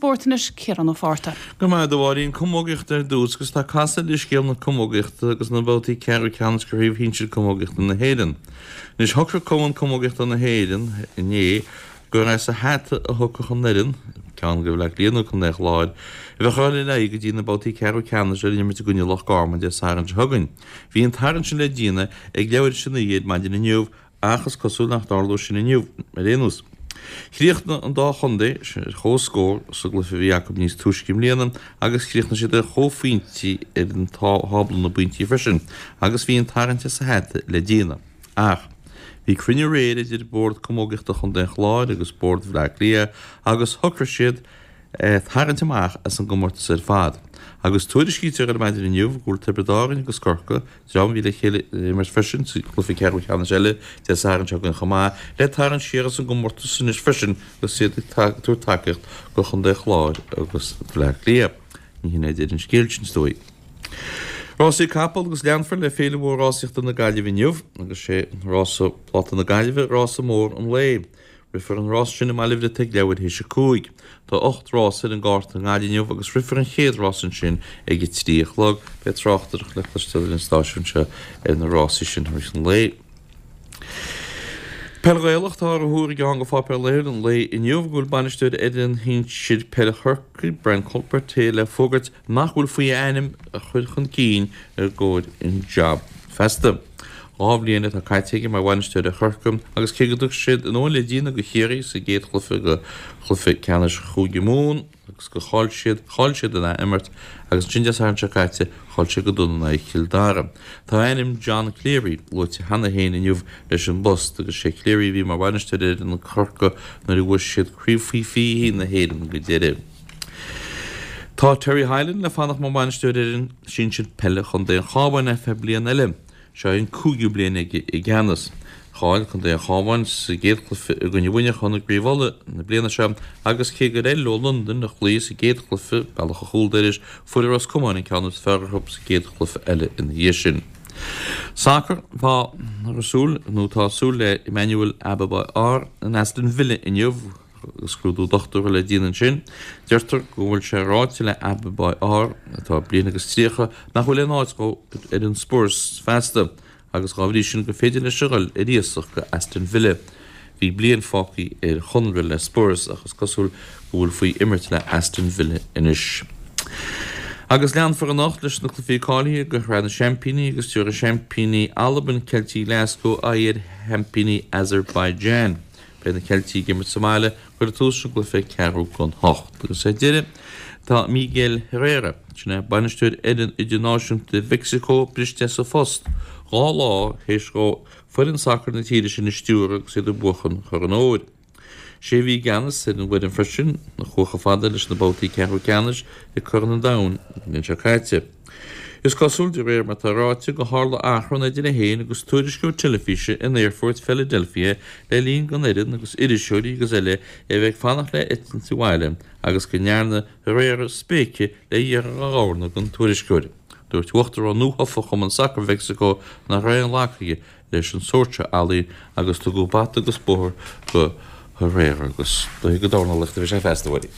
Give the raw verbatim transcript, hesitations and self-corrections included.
spóirt anois Ciarán Ó Fátharta. Go maith a Mháirín camógaíocht ar dtús agus tá casadh le scéal na camógaíochta agus na babhtaí ceathrú ceannais de chraobh shinsir camógaíochta na hÉireann. Anois shocraigh Cumann Camógaíochta na hÉireann inné gur as a hata a thiocfadh an fhoireann, ceann de Bhaile Átha Cliath nó Contae an Chláir, a bheadh ag dul ar aghaidh go dtí na babhtaí ceathrú ceannais le imirt i gcoinne Loch Garman Dé Sathairn seo chugainn. Bhí an tarraingt sin le déanamh ag leathuair tar éis a naoi ar maidin inniu ach is cosúil nach dtarlóidh sin inniu ar aon nós. Chríochnaigh an dá chontae ar comhscór sa gcluiche a bhí acu níos túisce i mbliana agus chríochnaigh siad ar chomhphointí ar an tábla na bpointí freisin agus bhí an tarraingt as a hata le déanamh. Ach bhí cruinniú aréir idir Bord Camógaíochta Chontae an Chláir agus Bord Bhaile Átha Cliath agus shocraigh siad tarraingt amach as an gcomórtas ar fad. Agus tuairiscítear ar maidin inniu go bhfuil Tiobraid Árann agus Corcaigh, dream a bhí le chéile ag imirt freisin sa gcluiche ceathrú ceannais eile Dé Sathairn seo chugainn chomh maith, le tarraingt siar as an gcomórtas anois freisin agus iad ag tabhairt tacaíocht do Chontae an Chláir agus Baile Átha Cliath. Ní hin é deireadh an scéil sin is dóigh. Rásaí capall agus leanfar le Féile Mhór Rásaíochta na Gaillimhe inniu agus sé rása Pláta na Gaillimhe rása mór an lae. Rithfear an rás sin i mBaile Bhriotaigh leathuair théis a cúig. Tá ocht rás ar an gcárta i nGaillimh inniu agus rithfear an chéad rás ansin ag a trí a chlog. Beidh tráchtaireacht le cloisteáil ar an stáisiún seo ar na rásaí sin i rith an lae. Peil Ghaelach tá á thuar i gceann de pháipéir laethúil an lae inniu go bhfuil bainisteoir fhoireann shinsir peile Chorcaí, Brian Cuthbert, le fógairt nach bhfuil faoi a ainm a chur chun cinn i gcomhair an jab feasta. Dhá bhliain atá caite aige mar bhainisteoir ar Chorcaigh agus cé go dtug siad an uain le déanamh do Chiarraí sa gcéad chluiche de chluiche ceannais Chúige Mumhan, agus gur chaill siad, chaill siad in ath-imirt agus ansin Dé Sathairn seo caite, chaill siad go dona in aghaidh Chill Dara. Tá ainm John Cleary luaite cheana féin inniu leis an bpost agus sé Cleary a bhí mar bhainisteoir ar fhoireann Chorcaí nuair a bhuaigh siad Craobh Faoi Fiche na hÉireann go deireadh. Tá Terry Hyland le fanacht mar bhainisteoir ar fhoireann sinsir peile Chontae an Chabháin ar feadh bliain eile. Seo é an cúigiú bliain aige i gceannas. Chaill Contae an Chabháin sa gcéad chluiche i gcoinne Mhuineacháin i gCraobh Uladh na bliana seo agus cé gur éirigh leo Londain a chloí sa gcéad chluiche, bealach a chúl dorais, fuair Ros Comáin an ceann is fearr orthu sa gcéad chluiche eile ina dhiaidh sin. Sacar, Tá súil nó tá súil le Emmanuel Abebaw in Aston Villa inniu agus scrúdú dochtúra le déanamh ansin. Deirtear go bhfuil sé ráite le Abebaw, atá bliain agus tríocha, nach bhfuil aon áit dhó ar fhoireann Spurs feasta agus dá bhrí sin gur féidir leis a dhul ar iasacht go Aston Villa. Bhí bliain fágtha ar chonradh le Spurs ach is cosúil go bhfuil faoi imirt le Aston Villa anois. Agus leanfar anocht leis na cluichí cáilithe do Shraith na Seaimpíní agus tabharfaidh seaimpíní Albain, Ceiltigh Glasgow, aghaidh ar sheaimpíní Azerbaijan. Beidh na Ceiltigh ag imirt sa mbaile, cuirfear tús leis an gcluiche ag ceathrú don hocht. Agus ar deireadh, tá Miguel Herrera, sin é bainisteoir fhoireann idirnáisiúnta Mheicsiceo, briste as a phost dhá lá théis dhó foireann sacair na tíre sin a stiúradh agus iad ag buachan Chorn an Óir. Sé a bhí i gceannas ar an bhfoireann freisin, a chuaigh chomh fada leis na babhtaí ceathrú ceannais i Corn an Domhain an bhliain seo caite. Is cosúil, de réir mar atá ráite, gur tharla achrann idir é féin agus tuairisceoir teilifíse in aerfort Philadelphia le linn don fhoireann agus iriseoirí agus eile a bheith ag fanacht le heitilt abhaile agus go ndearna Herrera spéice le iarthar a dhorna don tuairisceoir. Dúirt uachtarán nuathofa Chumann Sacair Mheicsiceo nach raibh aon ghlacadh aige leis an sórt seo ealaín agus tugadh bata agus bóthar do Herrera agus dóigh go dornálaíocht a bhí sé feasta, a Mháirín.